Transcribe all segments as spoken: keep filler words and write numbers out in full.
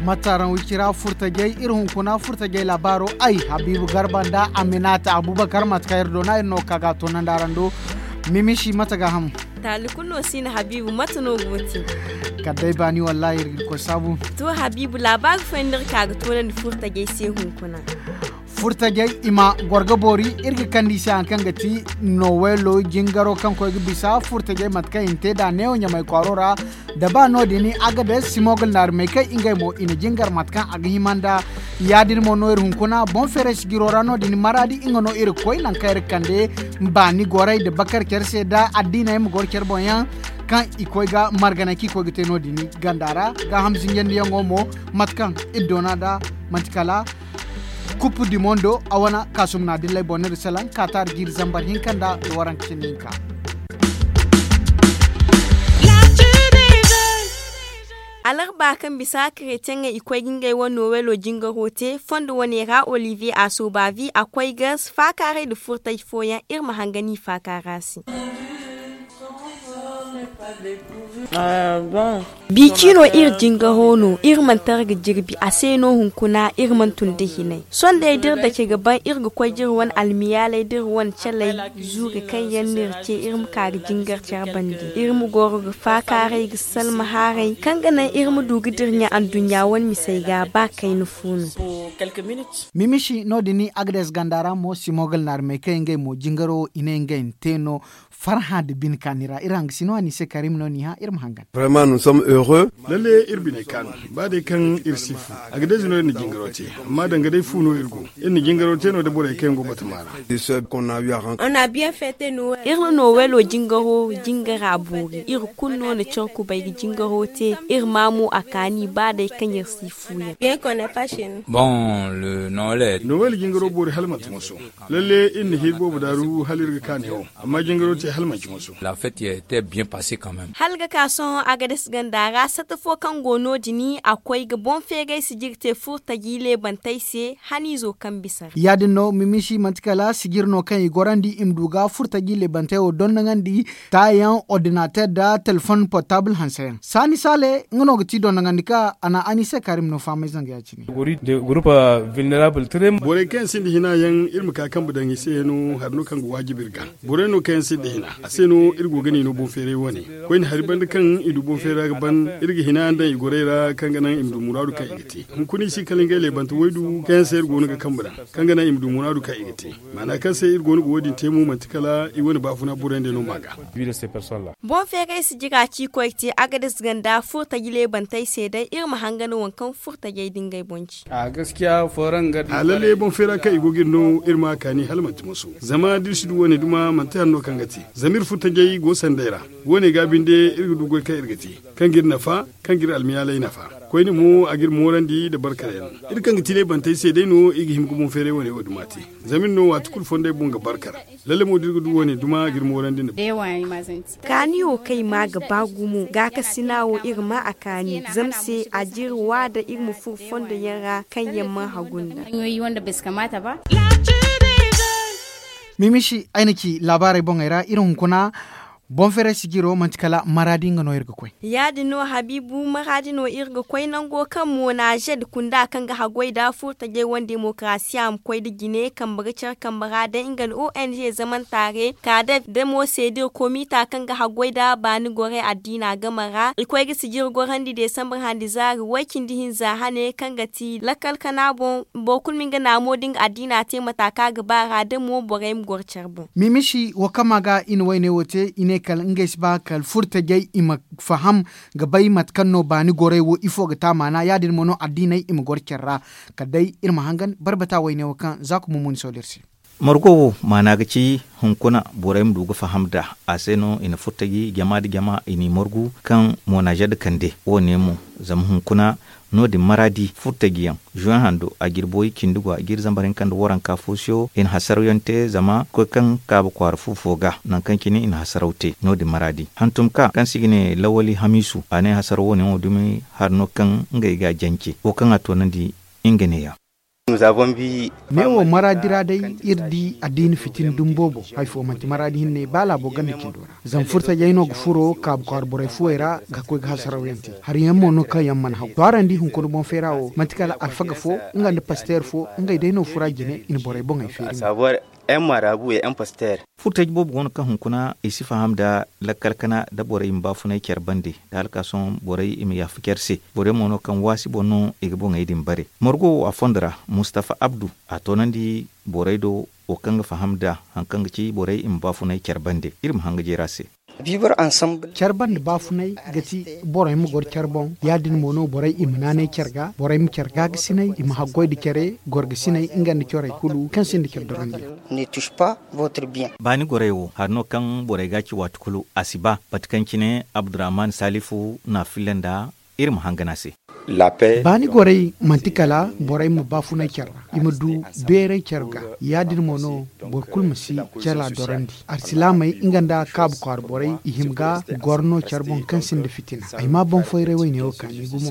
Mataran wicira furtajey iri hunkuna furtajey laabaaro ay habiibu garba nda aminata abubakar mate kaŋ iri doona iri no ka ga a toonandi araŋ do. Mimisi mate ga ham. Taali kulu no si na habiibu mate no go te? Kala day baani wallaahi iri ga koy saabu. To habiibu laabaari fooyaŋ no iri ka ga toonandi furtajey se hunkuna. Furtajey i ma goro ga boori iri ga kande i se hari kaŋ ga ti noweelo jingaro kaŋ koy ga bisa furtajey mate kaŋ i na te nd'a neewo ɲamay kwaaro ra. Da ba no- din agades simogol naari may kaŋ ngey mo i na jingar mate kaŋ a ga hima nd'a. Ya- din mo no iri hunkuna boŋ feeray sijiro ra no- din maraadi nga no iri ga koy nangu kaŋ iri ga kande baani gorey nda bakar care se nda addiiney ma goro care boŋ yaŋ kaŋ i koy ga marganay kaŋ i koy ga te no- din ganda ra. Gaaham zinjandiyaŋo mo mate kaŋ iri doona nd'a manti kala kupu dimondo a wane kaasum na dilley boŋ no iri salaŋ kaataari jiiri zambar hinka nda waranka cindi hinka. Alarba kaŋ bisa karetiyaŋey i koy ga ngey wane noweelo jingaro te fondo wane ra olivier a sooba vi a koy ga faakaaray nda furtay fooyaŋ iri ma hanga no i faakaara se. Biiki no iri jingaro no iri mana tara ga jirbi a se no hunkuna iri mana tun da hinay sondey da iri dake ga ban iri ga koy da iri wane almiyaaley da iri wane caley zuuri kaŋ yaŋ no iri te iri ma ka ga jingar care bande iri ma goro ga faakaaray ga salma haaray kaŋ ga naŋ iri ma du ga dira ɲa anduɲɲa wane misey ga ba kayna fu no. Mimisi no- din agades ganda ra mo simogal naari may kaŋ ngey mo jingaro i ne ngey na te no. Farhã nda bine kaani ra iri hangasino a ni se karim no ni hã iri ma hangan. Lalle iri bine kaanu ba day kaŋ iri si fu. Agades no iri na jingaro te amma danga day fu no iri go. Iri na jingaro te no da borey kaŋ yaŋ go batama ra. Iri na noweelo jingaro jingara boori iri kulu no na care kubay ga jingaro te. Iri ma mo a kaani ba day kaŋ iri si fu yaŋ. Nowel jingaro boori hala manti moso. Lalle iri na hiri boobo daaru hala iri ga kaani wo. Amma jingaro te hala manti moso. Hala ga ka sohõ agades ganda ra sata fo kaŋ go no- din a koy ga boŋ feeray sijiri te furtaji leebantey se. Haniizo kaŋ bisa ra. Ya- din no mimisi manti kala sijiri no kaŋ i gorandi i ma du ga furtaji leebantey wo dondoŋandi taayaŋ ordinater nda telefon portabul hanseyaŋ saani saale nga no ga ti dondoŋandi ka a na a ni se kaari ma no fahamay zanga ya- cine. Borey kaŋ yaŋ sinda hina yaŋ iri ma ka kambe daŋ i se no hari no kaŋ ga waajib iri ga. Borey no kaŋ yaŋ sinda hina a se no iri go ga ni no boŋ feeray wane. Koyne hari banda kaŋ i du boŋ feeray ra ga ban iri ga hina daŋ i gorey ra kaŋ ga naŋ i ma du muraadu kaŋ i ga te. Hunkuna i si kala ngey leebante waydu kaŋ yaŋ se iri go no ga kambe daŋ kaŋ ga naŋ i ma du muraadu kaŋ i ga te. Maana kaŋ se iri go no ga wo- din te mo manti kala i wane baafuna borey nda no ma ga. Boŋ feeray si jira ci koy te agades ganda furtaji leebantey se day iri ma hangan waŋ kaŋ furtajey da ngey boŋ ci. A lalle boŋ feera kaŋ i go ga iri no iri ma a kaani hala manti moso. Zama da iri si du wo- ne duma manti hari no kaŋ ga te. Zama iri furtajey go sanday ra. Wo- ne ga binde iri ga du goy kaŋ iri ga te kaŋ ga iri nafa, kaŋ ga iri almiyaalay nafa. Koyne mo a ga iri moorandi nda barkar yaŋ. Iri kaŋ ga ti leebantey se day no i ga hima ga boŋ feeray wo- ne wo- duma te. Zama iri no waati kulu fondey boŋ ga barkar. Lalle mo da iri ga du wo- ne duma ga iri moorandi nda. Kaani wo kaŋ i ma ga ba gumo gaakasina wo iri ma a kaani zama se a jiri waada iri ma furo fondo yaŋ ra kaŋ yaŋ mana hagu nda. Mimisi ay na ci laabaarey boŋey ra iri hunkuna. Boŋ feeray sijiro manti kala maraadi nga no iri ga koy. Ya- din no habiibu maraadi no iri ga koy nango kaŋ mo na zed kunda kaŋ ga haggoy nda furtajey wane demokarasiya ma koy nda jine kambe ga care kambe ra day nga nda ong zamanta re kaadef damo se da iri komita kaŋ ga haggoy nda baani gorey addiina game ra i koy ga sijiri gorandi desambar handi zaari way- cindi hinza hane kaŋ ga ti lakkal kana boŋ. Boro kulu ma nga naamo da nga addiina te mata kaŋ a ga ba a ra damo borey ma goro care boŋ. Mimisi wo kaŋ ma ga i na wayne wo te i ne kala ngey si ba kala furtajey i ma faham ga bay mate kaŋ no baani gorey wo ifo ga te a maana ya- din mo no addiiney i ma goro care ra. Kala day iri ma hangan barbata wayne wo kaŋ za ka mumuni sohõ da iri se. Margo wo maana ga ci hunkuna borey ma du ga faham nd'a. A se no i na furtaji jama nda jama i n'i margu kaŋ moonaazed kande wo- ne mo. Zama hunkuna no- din maraadi furtajiyaŋ, zuwan hando a jirboy cindi go a jiri zambar hinka nda waranka fo se wo i na hasaraw yaŋ te zama koy kaŋ kaaba kwaara fu fo ga nangu kaŋ cine i na hasaraw te no- din maraadi hantum ka kaŋ se i ga ne lawali hamiisu a ne hasaraw wo- ne wo dumi hari no kaŋ ngey ga a jance wo kaŋ a toonandi nga neeya. Ne wo maraadi ra day iri di addiina fitina dumi boobo. Hari fo manti maraadi hinne ba laabo ganda cindo ra zama furtajey no ga furo kaabu kwaara borey fuwey ra ga koy ga hasaraw yaŋ te. Hari yaŋ mo no kaŋ yaŋ mana haw to araŋ di hunkuna boŋ feera wo manti kala alfaga fo nga nda pasteer fo ngey day no fura jine i na borey boŋey feeri. Furtaji boobo go no kaŋ hunkuna i si faham nda lakkal kana nda borey i ma baafunay care bande nda hala ka sohõ borey i ma yaafa care se. Borey mo no kaŋ waasi boŋ no i ga boŋey din bare. Margo wo a fondo ra mustafa abdu a toonandi borey do wo kaŋ ga faham nda hari kaŋ ga ci borey i ma baafunay care bande iri ma hanga jeera se. Care bande baafunay ga ti borey ma goro care boŋ. Ya- din mo no borey i ma naanay care ga borey ma care gaagasinay i ma haggoy nda care gorgasinay nga nda corey kulu kaŋ sinda care dorandi. Baani gorey wo hari no kaŋ borey ga a ci waati kulu a si ba mate kaŋ cine abdurrahman salifu na a filla nda iri ma hangan a se. Baani gorey manti kala borey ma baafunay care ra i ma du beeray care ga. Ya- din mo no boro kulu ma si care a dorandi. Alsilaamey nga nda kaabu kwaara borey i hima ga goro no care boŋ kaŋ sinda fitina. Ay ma boŋ foyray wayne wo kaani gumo.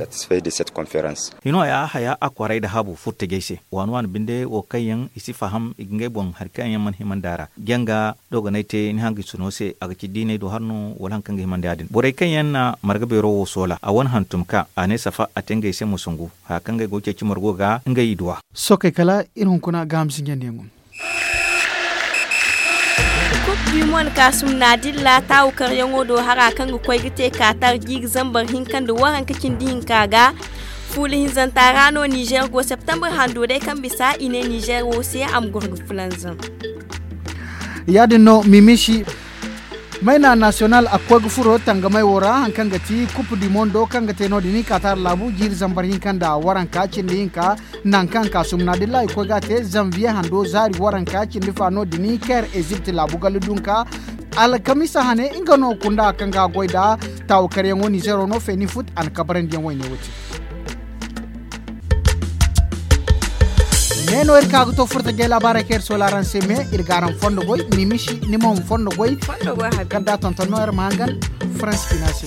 Hino ya haya a kwaray nda habu furtajey se waani waani binde wo kaŋ yaŋ i si faham i ga ngey boŋ hari kaŋ yaŋ mana hima nd'a ra janga dogonay te ni hangansuno se a ga ci diinay do hari no wala hari kaŋ ga hima nda ya- din borey kaŋ yaŋ na marga beero wo soola a wane hantum ka a ne safa a te ngey se musungu haya kaŋ ngey go ga ceeci margo ga ngey i duw'a. Sookey kala iri hunkuna gaaham sinjandiyaŋo. Kub du mond kaasum naadilla taawu karyaŋo do hara kaŋ ga koy ga te kaatar jiiri zambar hinka nda waranka cindi hinka ga fuula hinzanta ra no nizer go septembre hando day kaŋ bisa i ne nizer wo se a ma goro ga fulanzaŋ. Ya- din no mimisi mayna nasiyonal a ga koy ga furo tangamay wo ra hari kaŋ ga ti kupu di mondo kaŋ ga te no- din i kaatar laabu jiiri zambar hinka nda waranka cindi hinka. Nangu kaŋ kaasum naadilla i koy ga a te zanviye hando zaari waranka cindi fa no- din kair ezipt laabu galla dunka. Alkamisa hane nga no kunda kaŋ ga a goy nda taawu karyaŋo nizero no feeni fut a na kabarandiyaŋ wayne wo te. Ne no iri ka ga to furtajey laabaarey kaŋ iri soola araŋ se me iri ga araŋ fondo goy mimisi ni mo ma fondo goy. Kala da tonton no iri ma hangan faransi ciina se.